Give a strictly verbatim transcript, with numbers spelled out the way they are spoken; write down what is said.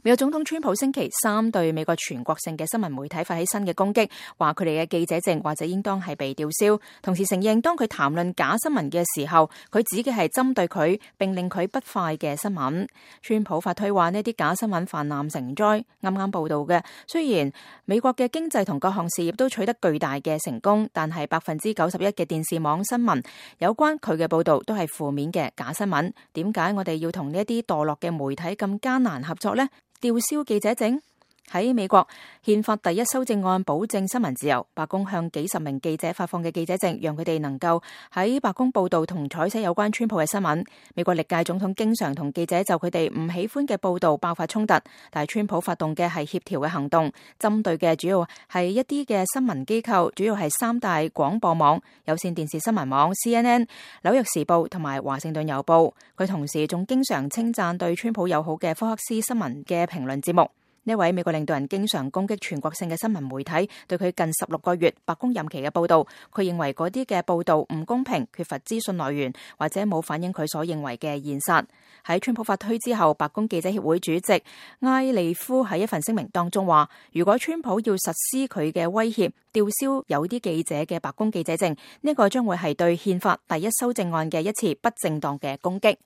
美國總統川普星期三對美國全國性嘅新聞媒體發起新嘅攻擊，話佢哋嘅記者證或者應當係被吊銷，同時承認當佢談論假新聞嘅時候，佢指嘅係針對佢並令佢不快嘅新聞。川普發推話呢啲假新聞泛濫成災，啱啱報道嘅，雖然美國嘅經濟同各項事業都取得巨大嘅成功，但係百分之九十一嘅電視網新聞有關佢嘅報道都係負面嘅假新聞。點解我哋要同呢一啲墮落嘅媒體咁艱難合作呢？吊銷記者證。喺美國憲法第一修正案保證新聞自由，白宮向幾十名記者發放嘅記者證，讓佢哋能夠喺白宮報道同採寫有關川普嘅新聞。美國歷屆總統經常同記者就佢哋唔喜歡嘅報道爆發衝突，但係川普發動嘅係協調嘅行動，針對嘅主要係一啲嘅新聞機構，主要係三大廣播網、有線電視新聞網 C N N、紐約時報同埋華盛頓郵報。佢同時仲經常稱讚對川普友好嘅福克斯新聞嘅評論節目。呢位美國領導人經常攻擊全國性嘅新聞媒體對佢近十六個月白宮任期嘅報道，佢認為嗰啲嘅報道唔公平、缺乏資訊來源或者冇反映佢所認為嘅現實。喺川普發推之後，白宮記者協會主席埃利夫喺一份聲明當中話，如果川普要實施佢嘅威脅，吊銷有啲記者嘅白宮記者證，呢個將會係對憲法第一修正案嘅一次不正當嘅攻擊。